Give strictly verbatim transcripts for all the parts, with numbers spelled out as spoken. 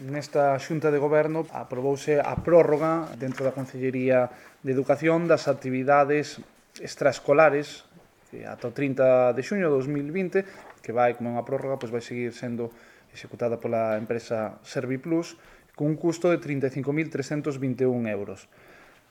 Nesta xunta de goberno aprobouse a prórroga dentro da Consellería de Educación das actividades extraescolares ata o trinta de xuño de dos mil vinte, que vai, como é unha prórroga, pois vai seguir sendo executada pola empresa Serviplus cun custo de trinta e cinco mil trescentos vinte e un euros.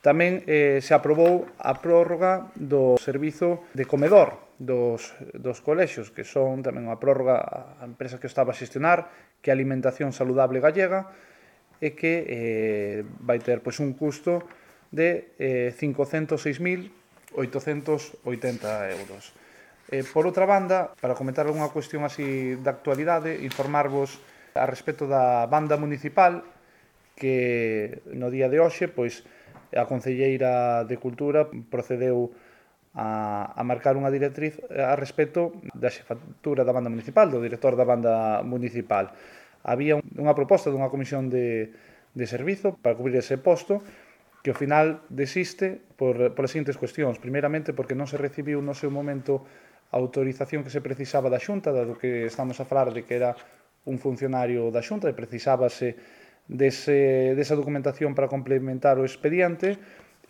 Tamén eh, se aprobou a prórroga do servizo de comedor dos, dos colexios, que son tamén unha prórroga a empresa que estaba a xestionar, que é Alimentación Saludable Gallega, e que eh, vai ter pois, un custo de eh, cincocentos seis mil oitocentos oitenta euros. Eh, por outra banda, para comentar algunha cuestión así de actualidade, informarvos a respecto da banda municipal, que no día de hoxe, pois, a Concelleira de Cultura procedeu a, a marcar unha directriz a respecto da xefatura da banda municipal, do director da banda municipal. Había unha proposta dunha comisión de, de servizo para cubrir ese posto, que ao final desiste por, por as seguintes cuestións. Primeiramente, porque non se recibiu no seu momento a autorización que se precisaba da Xunta, dado que estamos a falar de que era un funcionario da Xunta e precisábase dese, desa documentación para complementar o expediente.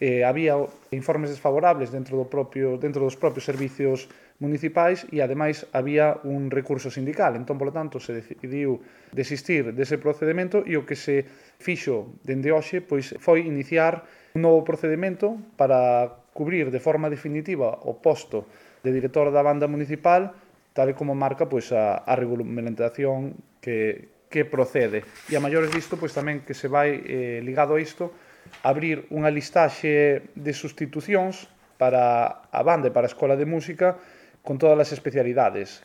Eh, había informes desfavorables dentro, do propio, dentro dos propios servicios municipais e, ademais, había un recurso sindical. Entón, polo tanto, se decidiu desistir dese procedimento e o que se fixo dende hoxe pois, foi iniciar un novo procedimento para cubrir de forma definitiva o posto de director da banda municipal, tal e como marca pois, a, a regulamentación que, que procede. E a maiores disto, pois, tamén que se vai eh, ligado a isto, abrir unha listaxe de sustitucións para a banda e para a Escola de Música con todas as especialidades.